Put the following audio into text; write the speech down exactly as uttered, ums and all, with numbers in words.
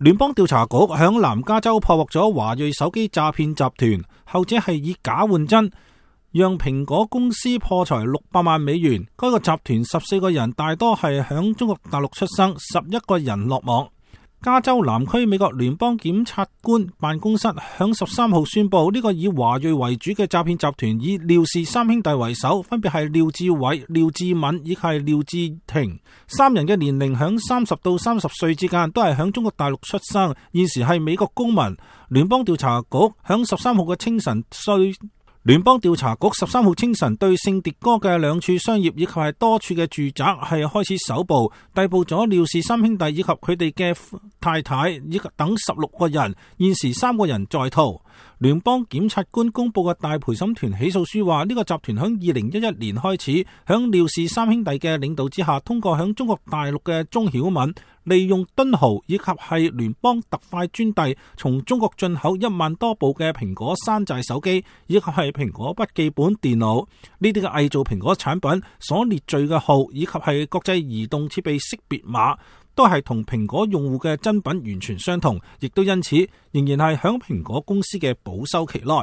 聯邦調查局響南加州破獲咗華裔手機詐騙集團，後者係以假換真，讓蘋果公司破財六百萬美元。該個集團十四個人大多係響中國大陸出生，十一個人落網。加州南區美國聯邦檢察官辦公室響十三號宣布，呢、這個以華裔為主嘅詐騙集團以廖氏三兄弟為首，分別係廖志偉、廖志敏以及係廖志廷，三人嘅年齡響三十到三十歲之間，都係響中國大陸出生，現時係美國公民。聯邦調查局響十三號嘅清晨對聯邦調查局十三號清晨對聖迭戈嘅兩處商業以及係多處嘅住宅係開始搜捕，逮捕咗廖氏三兄弟以及佢哋嘅太太以及等十六個人，現時三個人在逃。聯邦檢察官公布嘅大陪審團起訴書話，呢、這個集團響二零一一年開始，響廖氏三兄弟嘅領導之下，通過響中國大陸嘅鍾曉敏，利用敦豪以及係聯邦特快專遞，從中國進口一萬多部嘅蘋果山寨手機以及係蘋果筆記本電腦，呢啲嘅偽造蘋果產品所列罪嘅號以及係國際移動設備識別碼，都係同蘋果用戶嘅真品完全相同，亦都因此仍然係響蘋果公司嘅保修期內。